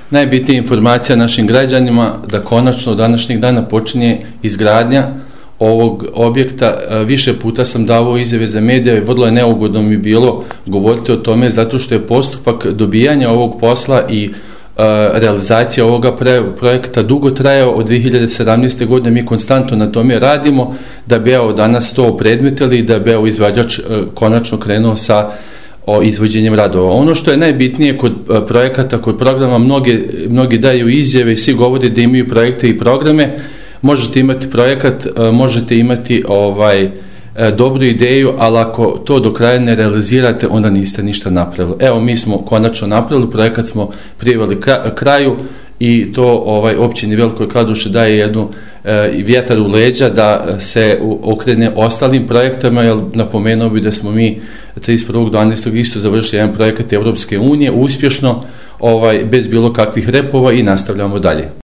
Najbitnija informacija našim građanima da konačno od današnjeg dana počinje izgradnja ovog objekta. Više puta sam davao izjave za medije, vrlo je neugodno mi bilo govoriti o tome zato što je postupak dobijanja ovog posla i realizacija ovoga projekta dugo trajao. Od 2017. godine mi konstantno na tome radimo da bi danas to opredmetili i da bi izvođač konačno krenuo sa izvođenjem radova. Ono što je najbitnije kod projekata, kod programa, mnogi daju izjave i svi govore da imaju projekte i programe. Možete imati projekat, možete imati dobru ideju, ali ako to do kraja ne realizirate, onda niste ništa napravili. Evo, mi smo konačno napravili, projekat smo priveli kraju i to općini Velikoj Kladuši daje jednu vjetar u leđa da se okrene ostalim projektama, jer napomenuo bi da smo mi 31.12. isto završili jedan projekat Evropske unije uspješno, bez bilo kakvih repova i nastavljamo dalje.